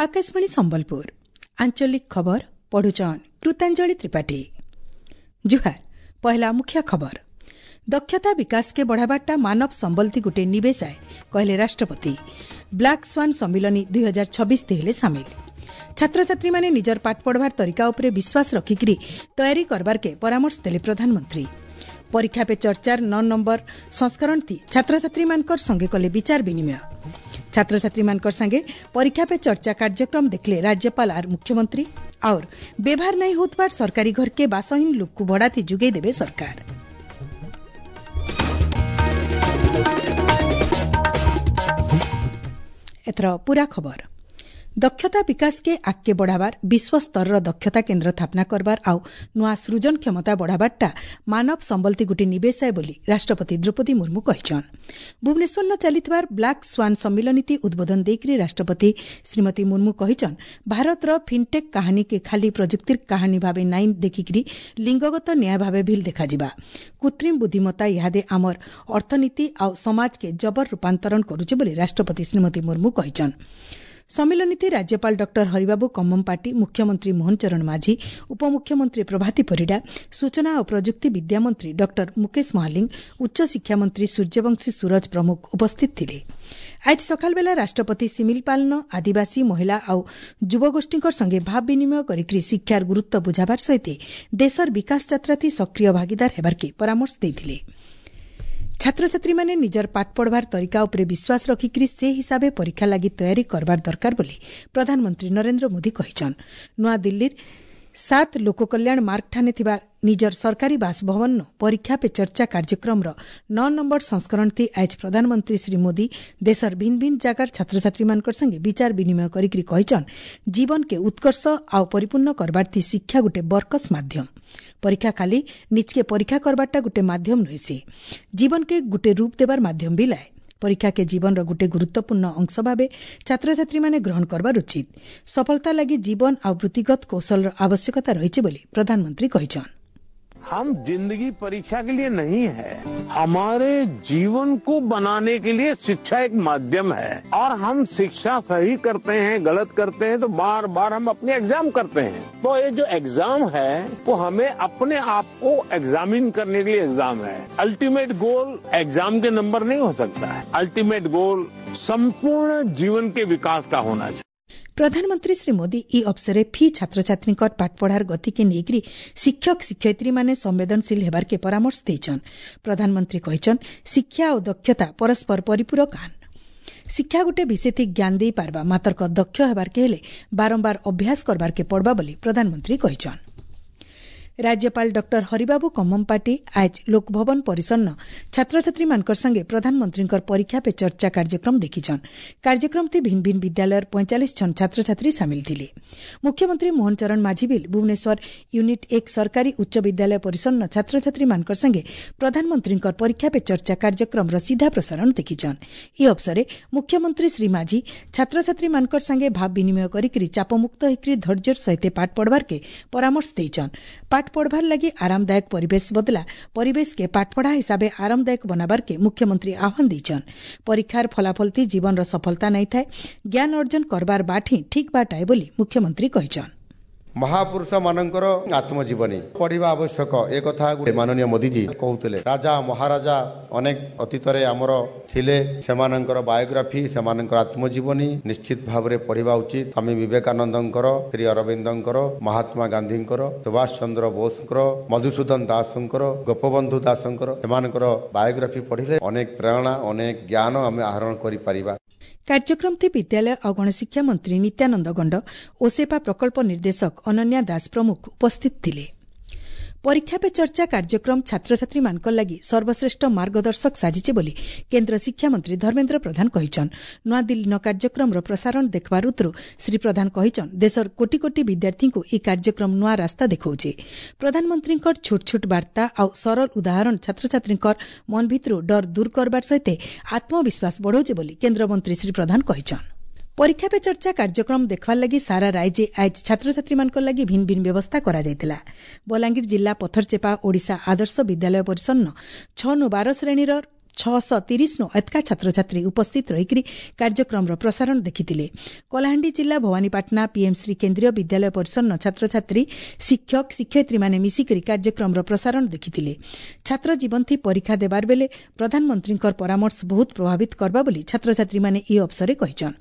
ଆକାଶବାଣୀ ସମ୍ବଲପୁର, ଆଞ୍ଚଳିକ ଖବର ପଢୁଛନ୍ କୃତାଞ୍ଜଳି ତ୍ରିପାଠୀ। ଜୁହାର। ପହଲା ମୁଖ୍ୟ ଖବର। ଦକ୍ଷତା ବିକାଶକେ ବଢ଼ାବାରଟା ମାନବ ସମ୍ବଲତି ଗୁଟେ ନିବେଶ ଆଏ, କହିଲେ ରାଷ୍ଟ୍ରପତି। ବ୍ଲାକ୍ ସ୍ୱାନ୍ ସମ୍ମିଳନୀ 2026 ହେଲେ ସାମିଲ। ଛାତ୍ରଛାତ୍ରୀମାନେ ନିଜର ପାଠ ପଢ଼ବାର ତରିକା ଉପରେ ବିଶ୍ୱାସ ରଖିକିରି ତୟାରୀ କରବାରକେ ପରାମର୍ଶ ଦେଲେ ପ୍ରଧାନମନ୍ତ୍ରୀ। ପରୀକ୍ଷା ପେ ଚର୍ଚ୍ଚାର 9 ନମ୍ବର ସଂସ୍କରଣ ଥି ଛାତ୍ରଛାତ୍ରୀମାନଙ୍କର ସଙ୍ଗେ କଲେ ବିଚାର ବିନିମୟ। ଛାତ୍ରଛାତ୍ରୀମାନଙ୍କର ସାଙ୍ଗେ ପରୀକ୍ଷା ପେ ଚର୍ଚ୍ଚା କାର୍ଯ୍ୟକ୍ରମ ଦେଖିଲେ ରାଜ୍ୟପାଳ ଆର୍ ମୁଖ୍ୟମନ୍ତ୍ରୀ। और ବ୍ୟବହାର ନାଇଁ ହେଉଥିବାର ସରକାରୀ ଘରକେ ବାସହୀନ ଲୋକକୁ ଭଡ଼ାଥି ଯୋଗାଇ ଦେବେ ସରକାର। ଏଥର ପୂରା ଖବର। ଦକ୍ଷତା ବିକାଶକେ ଆଗକେ ବଢ଼ାବାର, ବିଶ୍ୱ ସ୍ତରର ଦକ୍ଷତା କେନ୍ଦ୍ର ସ୍ଥାପନା କରବାର ଆଉ ନୂଆ ସୃଜନ କ୍ଷମତା ବଢ଼ାବାରଟା ମାନବ ସମ୍ବଲତି ଗୁଟେ ନିବେଶ ଆଏ ବୋଲି ରାଷ୍ଟ୍ରପତି ଦ୍ରୌପଦୀ ମୁର୍ମୁ କହିଛନ୍। ଭୁବନେଶ୍ୱରନ ଚାଲିଥିବାର ବ୍ଲାକ୍ ସ୍ୱାନ୍ ସମ୍ମିଳନୀତି ଉଦ୍ବୋଧନ ଦେଇକରି ରାଷ୍ଟ୍ରପତି ଶ୍ରୀମତୀ ମୁର୍ମୁ କହିଛନ୍, ଭାରତର ଫିନ୍ଟେକ୍ କାହାଣୀକେ ଖାଲି ପ୍ରଯୁକ୍ତିର କାହାଣୀ ଭାବେ ନାଇଁ ଦେଖିକିରି ଲିଙ୍ଗଗତ ନ୍ୟାୟ ଭାବେ ଭିଲ୍ ଦେଖାଯିବା। କୃତ୍ରିମ ବୁଦ୍ଧିମତ୍ତା ଇହାଦେ ଆମର ଅର୍ଥନୀତି ଆଉ ସମାଜକେ ଜବର ରୂପାନ୍ତରଣ କରୁଛେ ବୋଲି ରାଷ୍ଟ୍ରପତି ଶ୍ରୀମତୀ ମୁର୍ମୁ କହିଛନ୍। ସମ୍ମିଳନୀତି ରାଜ୍ୟପାଳ ଡକ୍ଟର ହରିବାବୁ କମ୍ମମପାଟି, ମୁଖ୍ୟମନ୍ତ୍ରୀ ମୋହନ ଚରଣ ମାଝୀ, ଉପମୁଖ୍ୟମନ୍ତ୍ରୀ ପ୍ରଭାତୀ ପରିଡ଼ା, ସୂଚନା ଓ ପ୍ରଯୁକ୍ତି ବିଦ୍ୟାମନ୍ତ୍ରୀ ଡକ୍ଟର ମୁକେଶ ମହାଲିଙ୍ଗ, ଉଚ୍ଚଶିକ୍ଷାମନ୍ତ୍ରୀ ସୂର୍ଯ୍ୟବଂଶୀ ସୂରଜ ପ୍ରମୁଖ ଉପସ୍ଥିତ ଥିଲେ। ଆଜି ସକାଳବେଲା ରାଷ୍ଟ୍ରପତି ସିମିଲପାଲନ ଆଦିବାସୀ ମହିଳା ଆଉ ଯୁବଗୋଷ୍ଠୀଙ୍କ ସଙ୍ଗେ ଭାବ ବିନିମୟ କରିକି ଶିକ୍ଷାର ଗୁରୁତ୍ୱ ବୁଝାବାର ସହିତ ଦେଶର ବିକାଶ ଯାତ୍ରାଥି ସକ୍ରିୟ ଭାଗିଦାର ହେବାର୍କେ ପରାମର୍ଶ ଦେଇଥିଲେ। ଛାତ୍ରଛାତ୍ରୀମାନେ ନିଜର ପାଠ ପଢ଼ବାର ତରିକା ଉପରେ ବିଶ୍ୱାସ ରଖିକିରି ସେ ହିସାବେ ପରୀକ୍ଷା ଲାଗି ତୟାରୀ କରବାର ଦରକାର ବୋଲି ପ୍ରଧାନମନ୍ତ୍ରୀ ନରେନ୍ଦ୍ର ମୋଦି କହିଛନ୍। ନୂଆଦିଲ୍ଲୀର 7 ଲୋକକଲ୍ୟାଣ ମାର୍ଗଠାନେ ଥିବା ନିଜର ସରକାରୀ ବାସଭବନ ପରୀକ୍ଷା ପେ ଚର୍ଚ୍ଚା କାର୍ଯ୍ୟକ୍ରମର 9 ନମ୍ବର ସଂସ୍କରଣଥି ଆଜ ପ୍ରଧାନମନ୍ତ୍ରୀ ଶ୍ରୀ ମୋଦି ଦେଶର ଭିନ୍ନ ଭିନ୍ନ ଜାଗାର ଛାତ୍ରଛାତ୍ରୀମାନଙ୍କର ସଙ୍ଗେ ବିଚାର ବିନିମୟ କରିକିରି କହିଛନ୍, ଜୀବନକେ ଉତ୍କର୍ଷ ଆଉ ପରିପୂର୍ଣ୍ଣ କରବାର୍ଥି ଶିକ୍ଷା ଗୁଟେ ବରକସ ମାଧ୍ୟମ। ପରୀକ୍ଷା ଖାଲି ନିଜକେ ପରୀକ୍ଷା କରବାରଟା ଗୁଟେ ମାଧ୍ୟମ ନୁହେଁ, ସେ ଜୀବନକେ ଗୁଟେ ରୂପ ଦେବାର ମାଧ୍ୟମ ବି ଲାଏ। ପରୀକ୍ଷାକେ ଜୀବନର ଗୁଟେ ଗୁରୁତ୍ୱପୂର୍ଣ୍ଣ ଅଂଶ ଭାବେ ଛାତ୍ରଛାତ୍ରୀମାନେ ଗ୍ରହଣ କରବାର ଉଚିତ। ସଫଳତା ଲାଗି ଜୀବନ ଆଉ ବୃତ୍ତିଗତ କୌଶଳର ଆବଶ୍ୟକତା ରହିଛି ବୋଲି ପ୍ରଧାନମନ୍ତ୍ରୀ କହିଛନ୍। हम जिंदगी परीक्षा के लिए नहीं है, हमारे जीवन को बनाने के लिए शिक्षा एक माध्यम है। और हम शिक्षा सही करते हैं, गलत करते हैं, तो बार बार हम अपने एग्जाम करते हैं। तो ये जो एग्जाम है, वो हमें अपने आप को एग्जामिन करने के लिए एग्जाम है। अल्टीमेट गोल एग्जाम के नंबर नहीं हो सकता है। अल्टीमेट गोल संपूर्ण जीवन के विकास का होना चाहिए। ପ୍ରଧାନମନ୍ତ୍ରୀ ଶ୍ରୀ ମୋଦି ଇ ଅବସରେ ଫି ଛାତ୍ରଛାତ୍ରୀଙ୍କ ପାଠପଢ଼ାର ଗତିକେ ନେଇକରି ଶିକ୍ଷକ ଶିକ୍ଷୟିତ୍ରୀମାନେ ସମ୍ବେଦନଶୀଳ ହେବାର୍କେ ପରାମର୍ଶ ଦେଇଛନ୍। ପ୍ରଧାନମନ୍ତ୍ରୀ କହିଛନ୍, ଶିକ୍ଷା ଓ ଦକ୍ଷତା ପରସ୍ପର ପରିପୂରକ ଆନ୍। ଶିକ୍ଷା ଗୁଟେ ବିଶେଷ ଜ୍ଞାନ ଦେଇ ପାରବା, ମାତର୍କ ଦକ୍ଷ ହେବାର୍କେ ହେଲେ ବାରମ୍ବାର ଅଭ୍ୟାସ କରବାର୍କେ ପଡ଼ବା ବୋଲି ପ୍ରଧାନମନ୍ତ୍ରୀ କହିଛନ୍। ରାଜ୍ୟପାଳ ଡକ୍ଟର ହରିବାବୁ କମ୍ମମପାଟି ଆଜ ଲୋକଭବନ ପରିସରନ ଛାତ୍ରଛାତ୍ରୀମାନଙ୍କର ସଙ୍ଗେ ପ୍ରଧାନମନ୍ତ୍ରୀଙ୍କର ପରୀକ୍ଷା ପେ ଚର୍ଚ୍ଚା କାର୍ଯ୍ୟକ୍ରମ ଦେଖିଛନ୍। କାର୍ଯ୍ୟକ୍ରମଥି ଭିନ୍ନ ଭିନ୍ନ ବିଦ୍ୟାଳୟର 45 ଜଣ ଛାତ୍ରଛାତ୍ରୀ ସାମିଲ ଥିଲେ। ମୁଖ୍ୟମନ୍ତ୍ରୀ ମୋହନ ଚରଣ ମାଝୀ ବିଲ୍ ଭୁବନେଶ୍ୱର ୟୁନିଟ୍ 1 ସରକାରୀ ଉଚ୍ଚ ବିଦ୍ୟାଳୟ ପରିସରନ ଛାତ୍ରଛାତ୍ରୀମାନଙ୍କର ସଙ୍ଗେ ପ୍ରଧାନମନ୍ତ୍ରୀଙ୍କର ପରୀକ୍ଷା ପେ ଚର୍ଚ୍ଚା କାର୍ଯ୍ୟକ୍ରମର ସିଧା ପ୍ରସାରଣ ଦେଖିଛନ୍। ଏହି ଅବସରେ ମୁଖ୍ୟମନ୍ତ୍ରୀ ଶ୍ରୀ ମାଝୀ ଛାତ୍ରଛାତ୍ରୀମାନଙ୍କର ସାଙ୍ଗେ ଭାବ ବିନିମୟ କରିକିରି ଚାପମୁକ୍ତ ହେଇକରି ଧୈର୍ଯ୍ୟର ସହିତ ପାଠ ପଢ଼ବାର୍କେ ପରାମର୍ଶ ଦେଇଛନ୍। ପାଠ ପଢ଼ବାର ଲାଗି ଆରାମଦାୟକ ପରିବେଶ ବଦଲା ପରିବେଶକେ ପାଠପଢ଼ା ହିସାବେ ଆରାମଦାୟକ ବନାବାର୍କେ ମୁଖ୍ୟମନ୍ତ୍ରୀ ଆହ୍ୱାନ ଦେଇଛନ୍। ପରୀକ୍ଷାର ଫଳାଫଳତି ଜୀବନର ସଫଳତା ନାଇଁ ଥାଏ, ଜ୍ଞାନ ଅର୍ଜନ କରବାର ବାଟ ହିଁ ଠିକ୍ ବାଟ ଆଏ ବୋଲି ମୁଖ୍ୟମନ୍ତ୍ରୀ କହିଛନ୍। ମହାପୁରୁଷ ମାନଙ୍କର ଆତ୍ମଜୀବନୀ ପଢିବା ଆବଶ୍ୟକ, ଏ କଥା ମାନନୀୟ ମୋଦିଜୀ କହୁଥିଲେ। ରାଜା ମହାରାଜା ଅନେକ ଅତୀତରେ ଆମର ଥିଲେ, ସେମାନଙ୍କର ବାୟୋଗ୍ରାଫି, ସେମାନଙ୍କର ଆତ୍ମଜୀବନୀ ନିଶ୍ଚିତ ଭାବରେ ପଢିବା ଉଚିତ। ସ୍ୱାମୀ ବିବେକାନନ୍ଦଙ୍କର, ଶ୍ରୀ ଅରବିନ୍ଦଙ୍କର, ମହାତ୍ମା ଗାନ୍ଧୀଙ୍କର, ସୁଭାଷ ଚନ୍ଦ୍ର ବୋଷଙ୍କର, ମଧୁସୂଦନ ଦାସଙ୍କର, ଗୋପବନ୍ଧୁ ଦାସଙ୍କର, ସେମାନଙ୍କର ବାୟୋଗ୍ରାଫି ପଢିଲେ ଅନେକ ପ୍ରେରଣା, ଅନେକ ଜ୍ଞାନ ଆମେ ଆହରଣ କରିପାରିବା। କାର୍ଯ୍ୟକ୍ରମଥି ବିଦ୍ୟାଳୟ ଆଉ ଗଣଶିକ୍ଷା ମନ୍ତ୍ରୀ ନିତ୍ୟାନନ୍ଦ ଗଣ୍ଡ, ଓସେପା ପ୍ରକଳ୍ପ ନିର୍ଦ୍ଦେଶକ ଅନନ୍ୟା ଦାସ ପ୍ରମୁଖ ଉପସ୍ଥିତ ଥିଲେ। ପରୀକ୍ଷା ପେ ଚର୍ଚ୍ଚା କାର୍ଯ୍ୟକ୍ରମ ଛାତ୍ରଛାତ୍ରୀମାନଙ୍କ ଲାଗି ସର୍ବଶ୍ରେଷ୍ଠ ମାର୍ଗଦର୍ଶକ ସାଜିଛି ବୋଲି କେନ୍ଦ୍ର ଶିକ୍ଷାମନ୍ତ୍ରୀ ଧର୍ମେନ୍ଦ୍ର ପ୍ରଧାନ କହିଛନ୍। ନୂଆଦିଲ୍ଲୀନ କାର୍ଯ୍ୟକ୍ରମର ପ୍ରସାରଣ ଦେଖିବାର ଉତ୍ତରୁ ଶ୍ରୀ ପ୍ରଧାନ କହିଛନ୍, ଦେଶର କୋଟି କୋଟି ବିଦ୍ୟାର୍ଥୀଙ୍କୁ ଏହି କାର୍ଯ୍ୟକ୍ରମ ନୂଆ ରାସ୍ତା ଦେଖାଉଛି। ପ୍ରଧାନମନ୍ତ୍ରୀଙ୍କର ଛୋଟ ଛୋଟ ବାର୍ତ୍ତା ଆଉ ସରଳ ଉଦାହରଣ ଛାତ୍ରଛାତ୍ରୀଙ୍କର ମନ ଭିତରୁ ଡର ଦୂର କରବାର ସହିତ ଆତ୍ମବିଶ୍ୱାସ ବଢ଼ାଉଛି ବୋଲି କେନ୍ଦ୍ରମନ୍ତ୍ରୀ ଶ୍ରୀ ପ୍ରଧାନ କହିଛନ୍। ପରୀକ୍ଷା ପେ ଚର୍ଚ୍ଚା କାର୍ଯ୍ୟକ୍ରମ ଦେଖବାର୍ ଲାଗି ସାରା ରାଜ୍ୟ ଆଜ ଛାତ୍ରଛାତ୍ରୀମାନଙ୍କ ଲାଗି ଭିନ୍ନ ଭିନ୍ନ ବ୍ୟବସ୍ଥା କରାଯାଇଥିଲା। ବଲାଙ୍ଗୀର ଜିଲ୍ଲା ପଥରଚେପା ଓଡ଼ିଶା ଆଦର୍ଶ ବିଦ୍ୟାଳୟ ପରିସରନ 6 ନୁ 12 ଶ୍ରେଣୀର 630 ନୁ ଏତକା ଛାତ୍ରଛାତ୍ରୀ ଉପସ୍ଥିତ ରହିକରି କାର୍ଯ୍ୟକ୍ରମର ପ୍ରସାରଣ ଦେଖିଥିଲେ। କଳାହାଣ୍ଡି ଜିଲ୍ଲା ଭବାନୀପାଟଣା ପିଏମ୍ ଶ୍ରୀ କେନ୍ଦ୍ରୀୟ ବିଦ୍ୟାଳୟ ପରିସରର ଛାତ୍ରଛାତ୍ରୀ, ଶିକ୍ଷକ ଶିକ୍ଷୟିତ୍ରୀମାନେ ମିଶିକରି କାର୍ଯ୍ୟକ୍ରମର ପ୍ରସାରଣ ଦେଖିଥିଲେ। ଛାତ୍ର ଜୀବନଥି ପରୀକ୍ଷା ଦେବାର ବେଲେ ପ୍ରଧାନମନ୍ତ୍ରୀଙ୍କର ପରାମର୍ଶ ବହୁତ ପ୍ରଭାବିତ କରବା ବୋଲି ଛାତ୍ରଛାତ୍ରୀମାନେ ଏହି ଅବସରରେ କହିଛନ୍।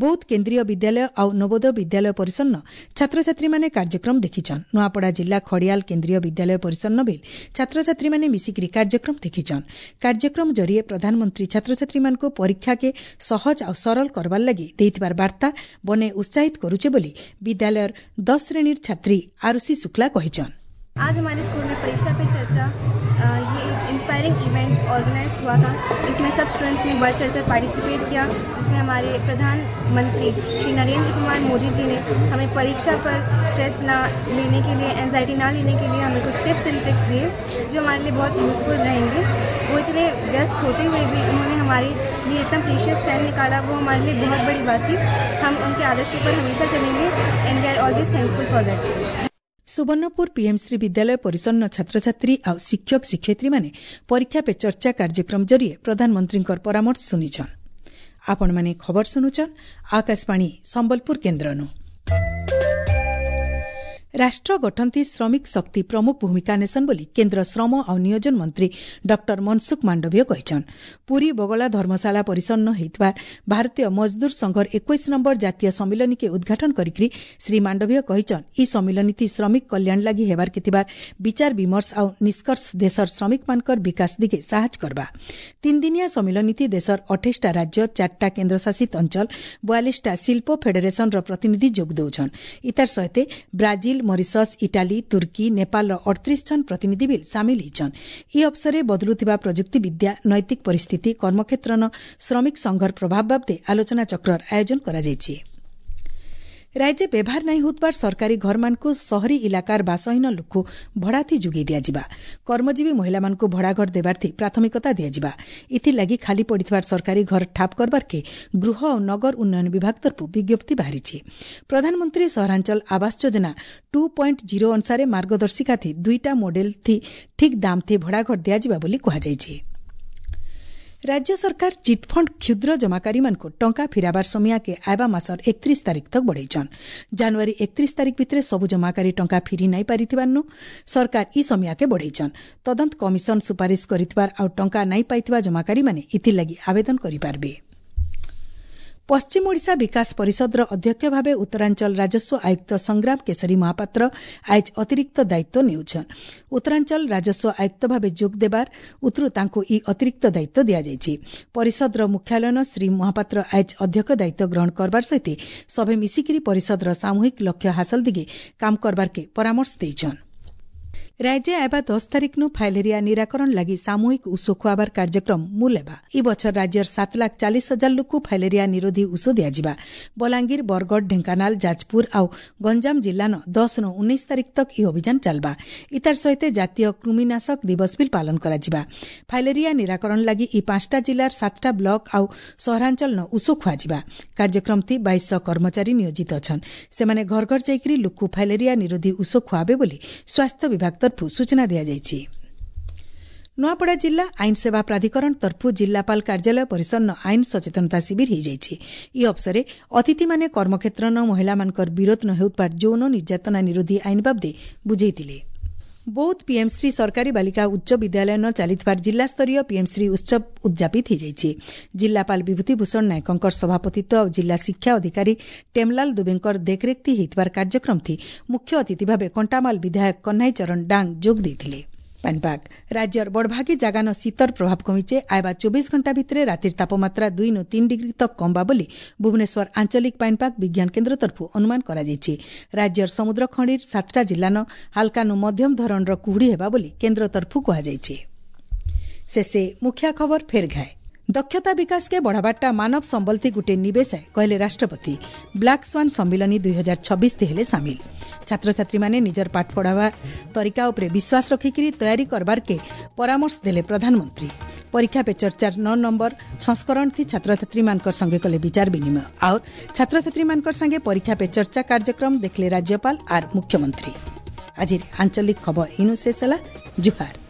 ବୌଦ୍ଧ କେନ୍ଦ୍ରୀୟ ବିଦ୍ୟାଳୟ ଆଉ ନବୋଦୟ ବିଦ୍ୟାଳୟ ପରିସରର ଛାତ୍ରଛାତ୍ରୀମାନେ କାର୍ଯ୍ୟକ୍ରମ ଦେଖିଛନ୍। ନୂଆପଡ଼ା ଜିଲ୍ଲା ଖଡ଼ିଆଲ କେନ୍ଦ୍ରୀୟ ବିଦ୍ୟାଳୟ ପରିସରନ ବିଲ୍ ଛାତ୍ରଛାତ୍ରୀମାନେ ମିଶିକରି କାର୍ଯ୍ୟକ୍ରମ ଦେଖିଛନ୍। କାର୍ଯ୍ୟକ୍ରମ ଜରିଏ ପ୍ରଧାନମନ୍ତ୍ରୀ ଛାତ୍ରଛାତ୍ରୀମାନଙ୍କୁ ପରୀକ୍ଷାକେ ସହଜ ଆଉ ସରଳ କରବାର ଲାଗି ଦେଇଥିବାର ବାର୍ତ୍ତା ବନେ ଉତ୍ସାହିତ କରୁଛେ ବୋଲି ବିଦ୍ୟାଳୟର 10 ଶ୍ରେଣୀର ଛାତ୍ରୀ ଆରୁଷି ଶୁକ୍ଲା କହିଛନ୍। आज हमारे स्कूल में परीक्षा पे चर्चा ये एक इंस्पायरिंग इवेंट ऑर्गेनाइज हुआ था। इसमें सब स्टूडेंट्स ने बढ़ चढ़कर पार्टिसिपेट किया। इसमें हमारे प्रधानमंत्री श्री नरेंद्र कुमार मोदी जी ने हमें परीक्षा पर स्ट्रेस ना लेने के लिए, एंजाइटी ना लेने के लिए हमें कुछ टिप्स एंड ट्रिक्स दिए जो हमारे लिए बहुत यूज़फुल रहेंगे। वो इतने व्यस्त होते हुए भी उन्होंने हमारे लिए इतना प्रीशियस टाइम निकाला, वो हमारे लिए बहुत बड़ी बात थी। हम उनके आदर्शों पर हमेशा चलेंगे and we are always thankful for that. Subarnapur PM Shri ବିଦ୍ୟାଳୟ ପରିସରର ଛାତ୍ରଛାତ୍ରୀ ଆଉ ଶିକ୍ଷକ ଶିକ୍ଷୟିତ୍ରୀମାନେ ପରୀକ୍ଷା ପେ ଚର୍ଚ୍ଚା କାର୍ଯ୍ୟକ୍ରମ ଜରିଏ ପ୍ରଧାନମନ୍ତ୍ରୀଙ୍କର ପରାମର୍ଶ ଶୁଣିଛନ୍। ଆପଣମାନେ ଖବର ଶୁଣୁଛନ୍ ଆକାଶବାଣୀ ସମ୍ବଲପୁର କେନ୍ଦ୍ରନୁ। ରାଷ୍ଟ୍ର ଗଠନଥି ଶ୍ରମିକ ଶକ୍ତି ପ୍ରମୁଖ ଭୂମିକା ନେସନ୍ ବୋଲି କେନ୍ଦ୍ର ଶ୍ରମ ଆଉ ନିୟୋଜନ ମନ୍ତ୍ରୀ ଡକ୍ଟର ମନସୁଖ ମାଣ୍ଡବୀୟ କହିଛନ୍। ପୁରୀ ବଗଳା ଧର୍ମଶାଳା ପରିସନ୍ନ ହୋଇଥିବା ଭାରତୀୟ ମଜଦୁର ସଂଘର 21 ନମ୍ବର ଜାତୀୟ ସମ୍ମିଳନୀକେ ଉଦ୍ଘାଟନ କରିକି ଶ୍ରୀ ମାଣ୍ଡବୀୟ କହିଛନ୍, ଇ ସମ୍ମିଳନୀଥି ଶ୍ରମିକ କଲ୍ୟାଣ ଲାଗି ହେବାର୍କେ ଥିବା ବିଚାର ବିମର୍ଶ ଆଉ ନିଷ୍କର୍ଷ ଦେଶର ଶ୍ରମିକମାନଙ୍କର ବିକାଶ ଦିଗେ ସାହାଯ୍ୟ କରବା। ତିନିଦିନିଆ ସମ୍ମିଳନୀଥି ଦେଶର 28ଟା ରାଜ୍ୟ, 4ଟା କେନ୍ଦ୍ରଶାସିତ ଅଞ୍ଚଳ, 42ଟା ଶିଳ୍ପ ଫେଡେରେସନର ପ୍ରତିନିଧି ଯୋଗ ଦେଉଛନ୍। ଇତାର ସହିତ ବ୍ରାଜିଲ, ମରିସସ୍, ଇଟାଲୀ, ତୁର୍କୀ, ନେପାଳର 38 ଜଣ ପ୍ରତିନିଧି ବିଲ୍ ସାମିଲ ହୋଇଛନ୍। ଏହି ଅବସରରେ ବଦଳୁଥିବା ପ୍ରଯୁକ୍ତି ବିଦ୍ୟା, ନୈତିକ ପରିସ୍ଥିତି, କର୍ମକ୍ଷେତ୍ରନ ଶ୍ରମିକ ସଂଘର ପ୍ରଭାବ ବାବଦେ ଆଲୋଚନା ଚକ୍ରର ଆୟୋଜନ କରାଯାଇଛି। ରାଜ୍ୟ ବ୍ୟବହାର ନାଇଁ ହେଉଥିବାର ସରକାରୀ ଘରମାନଙ୍କୁ ସହରୀ ଇଲାକାର ବାସହୀନ ଲୋକକୁ ଭଡ଼ାଥି ଯୋଗାଇ ଦିଆଯିବା। କର୍ମଜୀବୀ ମହିଳାମାନଙ୍କୁ ଭଡ଼ାଘର ଦେବାର୍ଥି ପ୍ରାଥମିକତା ଦିଆଯିବା। ଏଥିଲାଗି ଖାଲି ପଡ଼ିଥିବାର ସରକାରୀ ଘର ଠାପ କରବାର୍କେ ଗୃହ ଓ ନଗର ଉନ୍ନୟନ ବିଭାଗ ତରଫରୁ ବିଜ୍ଞପ୍ତି ବାହାରିଛି। ପ୍ରଧାନମନ୍ତ୍ରୀ ସହରାଞ୍ଚଳ ଆବାସ ଯୋଜନା 2.0 ଅନୁସାରେ ମାର୍ଗଦର୍ଶିକା ଥି 2ଟା ମଡେଲ ଥି ଠିକ୍ ଦାମ ଥି ଭଡ଼ାଘର ଦିଆଯିବା ବୋଲି କୁହାଯାଇଛି। ରାଜ୍ୟ ସରକାର ଚିଟ୍ଫଣ୍ଡ କ୍ଷୁଦ୍ର ଜମାକାରୀମାନଙ୍କୁ ଟଙ୍କା ଫିରାବାର ସମୟାକେ ଆଇବା ମାସର 31 ତାରିଖ ତକ ବଢ଼େଇଛନ୍। ଜାନୁଆରୀ 31 ତାରିଖ ଭିତରେ ସବୁ ଜମାକାରୀ ଟଙ୍କା ଫିରି ନାଇଁ ପାରିଥିବାରୁ ସରକାର ଇ ସମୟାକେ ବଢ଼େଇଛନ୍। ତଦନ୍ତ କମିଶନ ସୁପାରିଶ କରିଥିବାର ଆଉ ଟଙ୍କା ନାଇଁ ପାଇଥିବା ଜମାକାରୀମାନେ ଏଥିଲାଗି ଆବେଦନ କରିପାରିବେ। ପଶ୍ଚିମ ଓଡ଼ିଶା ବିକାଶ ପରିଷଦର ଅଧ୍ୟକ୍ଷ ଭାବେ ଉତ୍ତରାଞ୍ଚଳ ରାଜସ୍ୱ ଆୟୁକ୍ତ ସଂଗ୍ରାମ କେଶରୀ ମହାପାତ୍ର ଆଜ ଅତିରିକ୍ତ ଦାୟିତ୍ୱ ନେଉଛନ୍। ଉତ୍ତରାଞ୍ଚଳ ରାଜସ୍ୱ ଆୟୁକ୍ତ ଭାବେ ଯୋଗ ଦେବାର ଉତ୍ତରୁ ତାଙ୍କୁ ଇ ଅତିରିକ୍ତ ଦାୟିତ୍ୱ ଦିଆଯାଇଛି। ପରିଷଦର ମୁଖ୍ୟାଳୟନ ଶ୍ରୀ ମହାପାତ୍ର ଆଜ ଅଧ୍ୟକ୍ଷ ଦାୟିତ୍ୱ ଗ୍ରହଣ କରବାର ସହିତ ସଭେ ମିଶିକିରି ପରିଷଦର ସାମୂହିକ ଲକ୍ଷ୍ୟ ହାସଲ ଦିଗେ କାମ କରବାର୍କେ ପରାମର୍ଶ ଦେଇଛନ୍। ରାଜ୍ୟ ଆଇବା 10 ତାରିଖନୁ ଫାଇଲେରିଆ ନିରାକରଣ ଲାଗି ସାମୂହିକ ଉଷୋ ଖୁଆବାର କାର୍ଯ୍ୟକ୍ରମ ମୂଲ ହେବା। ଇ ବଛର ରାଜ୍ୟର 7,40,000 ଲୋକକୁ ଫାଇଲେରିଆ ନିରୋଧୀ ଉଷୋ ଦିଆଯିବା। ବଲାଙ୍ଗୀର, ବରଗଡ଼, ଢେଙ୍କାନାଳ, ଯାଜପୁର ଆଉ ଗଞ୍ଜାମ ଜିଲ୍ଲାନ 10 ନୁ 19 ତାରିଖ ତକ ଇ ଅଭିଯାନ ଚାଲବା। ଇତାର ସହିତ ଜାତୀୟ କୃମିନାଶକ ଦିବସ ବିଲ୍ ପାଳନ କରାଯିବା। ଫାଇଲେରିଆ ନିରାକରଣ ଲାଗି ଇ 5ଟା ଜିଲ୍ଲାର 7ଟା ବ୍ଲକ ଆଉ ସହରାଞ୍ଚଳନ ଉଷୋ ଖୁଆଯିବା। କାର୍ଯ୍ୟକ୍ରମଥି 2200 କର୍ମଚାରୀ ନିୟୋଜିତ ଅଛନ୍। ସେମାନେ ଘର ଘର ଯାଇକରି ଲୋକକୁ ଫାଇଲେରିଆ ନିରୋଧୀ ଉଷୋ ଖୁଆବେ ବୋଲି ସ୍ୱାସ୍ଥ୍ୟ ବିଭାଗ ତରଫରୁ ସୂଚନା ଦିଆଯାଇଛି। ନୂଆପଡ଼ା ଜିଲ୍ଲା ଆଇନ ସେବା ପ୍ରାଧିକରଣ ତରଫରୁ ଜିଲ୍ଲାପାଳ କାର୍ଯ୍ୟାଳୟ ପରିସରନ ଆଇନ ସଚେତନତା ଶିବିର ହୋଇଯାଇଛି। ଏହି ଅବସରରେ ଅତିଥିମାନେ କର୍ମକ୍ଷେତ୍ରନ ମହିଳାମାନଙ୍କର ବିରୋଧ ନ ହେଉଥିବା ଯୌନ ନିର୍ଯାତନା ନିରୋଧୀ ଆଇନ ବାବଦେ ବୁଝେଇଥିଲେ। ବୌଦ୍ଧ ପିଏମ୍ଶ୍ରୀ ସରକାରୀ ବାଳିକା ଉଚ୍ଚ ବିଦ୍ୟାଳୟନ ଚାଲିଥିବା ଜିଲ୍ଲାସ୍ତରୀୟ ପିଏମ୍ଶ୍ରୀ ଉତ୍ସବ ଉଦ୍ଯାପିତ ହୋଇଯାଇଛି। ଜିଲ୍ଲାପାଳ ବିଭୂତି ଭୂଷଣ ନାୟକଙ୍କର ସଭାପତିତ୍ୱ ଆଉ ଜିଲ୍ଲା ଶିକ୍ଷା ଅଧିକାରୀ ଟେମଲାଲ ଦୁବେଙ୍କର ଦେଖରେଖ ହୋଇଥିବାର କାର୍ଯ୍ୟକ୍ରମଥି ମୁଖ୍ୟ ଅତିଥି ଭାବେ କଣ୍ଟାମାଲ ବିଧାୟକ କହ୍ନାଇ ଚରଣ ଡାଙ୍ଗ ଯୋଗ ଦେଇଥିଲେ। ପାଣିପାଗ, ରାଜ୍ୟର ବଡ଼ଭାଗୀ ଜାଗାନ ଶୀତର ପ୍ରଭାବ କମିଛେ। ଆଇବା 24 ଘଣ୍ଟା ଭିତରେ ରାତିର ତାପମାତ୍ରା 2 ନୁ 3 ଡିଗ୍ରୀ ତକ କମବା ବୋଲି ଭୁବନେଶ୍ୱର ଆଞ୍ଚଳିକ ପାଣିପାଗ ବିଜ୍ଞାନ କେନ୍ଦ୍ର ତରଫରୁ ଅନୁମାନ କରାଯାଇଛି। ରାଜ୍ୟର ସମୁଦ୍ର ଖଣିର 7ଟା ଜିଲ୍ଲାନ ହାଲକାନୁ ମଧ୍ୟମ ଧରଣର କୁହୁଡ଼ି ହେବା ବୋଲି କେନ୍ଦ୍ର ତରଫରୁ କୁହାଯାଇଛି। ଶେଷେ ମୁଖ୍ୟ ଖବର ଫେର ଘାଏ। ଦକ୍ଷତା ବିକାଶକେ ବଢ଼ାବାରଟା ମାନବ ସମ୍ବଲଥି ଗୁଟେ ନିବେଶ କହିଲେ ରାଷ୍ଟ୍ରପତି। ବ୍ଲାକ୍ ସ୍ୱାନ୍ ସମ୍ମିଳନୀ 2026 ହେଲେ ସାମିଲ। ଛାତ୍ରଛାତ୍ରୀମାନେ ନିଜର ପାଠ ପଢ଼ାବା ତରିକା ଉପରେ ବିଶ୍ୱାସ ରଖିକିରି ତୟାରୀ କରବାର୍କେ ପରାମର୍ଶ ଦେଲେ ପ୍ରଧାନମନ୍ତ୍ରୀ। ପରୀକ୍ଷା ପେ ଚର୍ଚ୍ଚାର 9 ନମ୍ବର ସଂସ୍କରଣ ଥି ଛାତ୍ରଛାତ୍ରୀମାନଙ୍କର ସଙ୍ଗେ କଲେ ବିଚାର ବିନିମୟ। ଆଉ ଛାତ୍ରଛାତ୍ରୀମାନଙ୍କର ସାଙ୍ଗେ ପରୀକ୍ଷା ପେ ଚର୍ଚ୍ଚା କାର୍ଯ୍ୟକ୍ରମ ଦେଖିଲେ ରାଜ୍ୟପାଳ ଆର୍ ମୁଖ୍ୟମନ୍ତ୍ରୀ। ଆଜିର ଆଞ୍ଚଳିକ ଖବର ଇନୁ ଶେଷ ହେଲା। ଜୁହାର।